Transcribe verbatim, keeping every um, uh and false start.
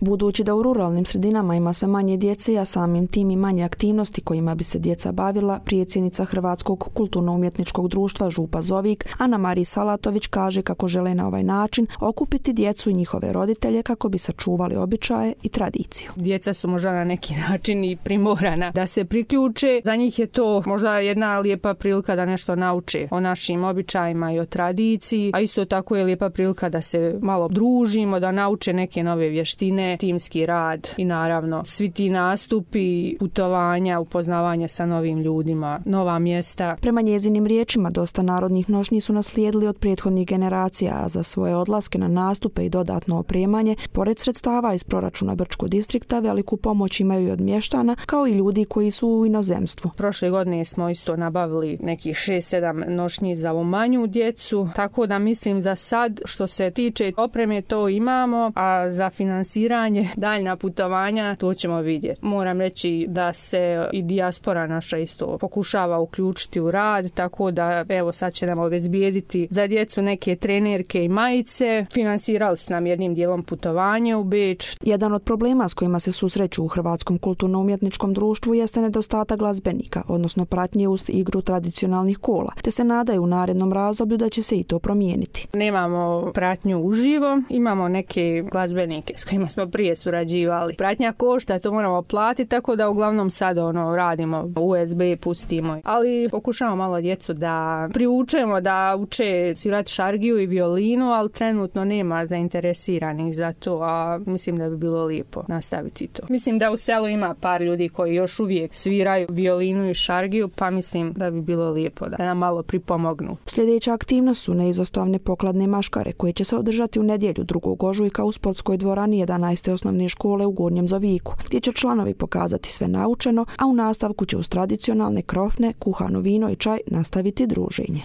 Budući da u ruralnim sredinama ima sve manje djece, a samim tim i manje aktivnosti kojima bi se djeca bavila, predsjednica Hrvatskog kulturno-umjetničkog društva Župa Zovik, Ana Marija Salatović, kaže kako žele na ovaj način okupiti djecu i njihove roditelje kako bi sačuvali običaje i tradiciju. Djeca su možda na neki način i primorana da se priključe. Za njih je to možda jedna lijepa prilika da nešto nauče o našim običajima i o tradiciji, a isto tako je lijepa prilika da se malo družimo, da nauče neke nove vještine, timski rad i naravno svi ti nastupi, putovanja, upoznavanja sa novim ljudima, nova mjesta. Prema njezinim riječima, dosta narodnih nošnji su naslijedili od prethodnih generacija, a za svoje odlaske na nastupe i dodatno opremanje, pored sredstava iz proračuna Brčkog distrikta, veliku pomoć imaju i od mještana, kao i ljudi koji su u inozemstvu. Prošle godine smo isto nabavili nekih šest sedam nošnji za ovu manju djecu, tako da mislim za sad što se tiče opreme to imamo, a za finansiranje daljna putovanja to ćemo vidjeti. Moram reći da se i dijaspora naša isto pokušava uključiti u rad, tako da evo sad će nam obezbijediti za djecu neke trenerke i majice. Finansirali su nam jednim dijelom putovanje u Beč. Jedan od problema s kojima se susreću u Hrvatskom kulturno-umjetničkom društvu jeste nedostatak glazbenika, odnosno pratnje uz igru tradicionalnih kola, te se nadaju u narednom razdoblju da će se i to promijeniti. Nemamo pratnju uživo, imamo neke glazbenike s kojima smo prije surađivali. Pratnja košta, to moramo platiti, tako da uglavnom sad ono radimo U S B, pustimo. Ali pokušamo malo djecu da priučemo da uče svirati šargiju i violinu, ali trenutno nema zainteresiranih za to, a mislim da bi bilo lijepo nastaviti to. Mislim da u selu ima par ljudi koji još uvijek sviraju violinu i šargiju, pa mislim da bi bilo lijepo da nam malo pripomognu. Sljedeća aktivnost su neizostavne pokladne maškare koje će se održati u nedjelju drugog ožujka u sportskoj dvorani jedanaeste osnovne škole u Gornjem Zoviku, gdje će članovi pokazati sve naučeno, a u nastavku će uz tradicionalne krofne, kuhano vino i čaj nastaviti druženje.